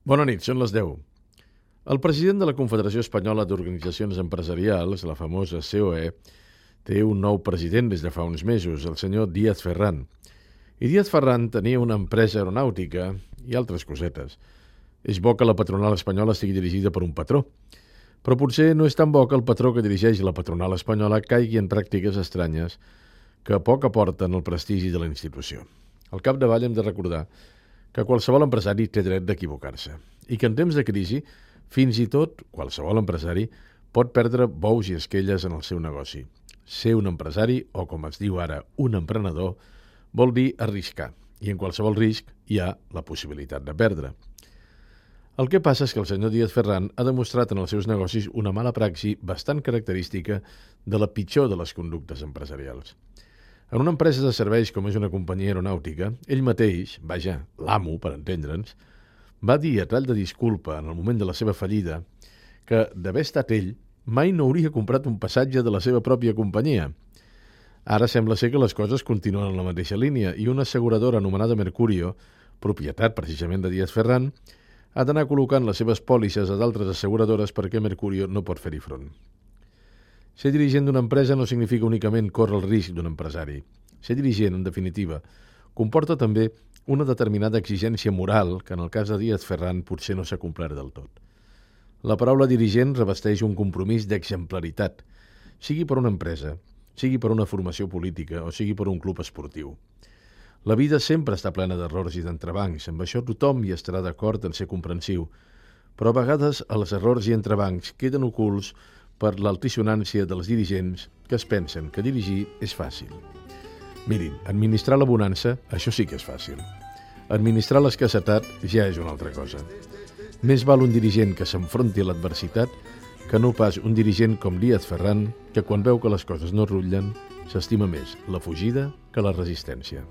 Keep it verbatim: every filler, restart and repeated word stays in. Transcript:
Bona nit, són les deu. El president de la Confederació Espanyola d'Organitzacions Empresarials, la famosa C O E, té un nou president des de fa uns mesos, el senyor Díaz Ferrán. I Díaz Ferrán tenia una empresa aeronàutica i altres cosetes. És bo que la patronal espanyola estigui dirigida per un patró, però potser no és tan bo que el patró que dirigeix la patronal espanyola caigui en pràctiques estranyes que poc aporten al prestigi de la institució. Al capdavall hem de recordar que qualsevol empresari té dret d'equivocar-se i que en temps de crisi, fins i tot qualsevol empresari pot perdre bous i esquelles en el seu negoci. Ser un empresari, o com es diu ara, un emprenedor, vol dir arriscar, i en qualsevol risc hi ha la possibilitat de perdre. El que passa és que el senyor Díaz Ferrán ha demostrat en els seus negocis una mala praxi bastant característica de la pitjor de les conductes empresarials. En una empresa de serveis com és una companyia aeronàutica, ell mateix, vaja, l'amo, per entendre'ns, va dir a tall de disculpa en el moment de la seva fallida que, d'haver estat ell, mai no hauria comprat un passatge de la seva pròpia companyia. Ara sembla ser que les coses continuen en la mateixa línia i una asseguradora anomenada Mercurio, propietat precisament de Díaz Ferrán, ha d'anar col·locant les seves pòlisses a d'altres asseguradores perquè Mercurio no pot fer-hi front. Ser dirigent d'una empresa no significa únicament córrer el risc d'un empresari. Ser dirigent, en definitiva, comporta també una determinada exigència moral que en el cas de Díaz Ferrán potser no s'ha complert del tot. La paraula dirigent revesteix un compromís d'exemplaritat, sigui per una empresa, sigui per una formació política o sigui per un club esportiu. La vida sempre està plena d'errors i d'entrebancs, amb això tothom hi estarà d'acord en ser comprensiu, però a vegades els errors i entrebancs queden ocults per l'altisonància dels dirigents que es pensen que dirigir és fàcil. Mirin, administrar la bonança, això sí que és fàcil. Administrar l'escassetat ja és una altra cosa. Més val un dirigent que s'enfronti a l'adversitat que no pas un dirigent com Díaz Ferrán que quan veu que les coses no rutllen s'estima més la fugida que la resistència.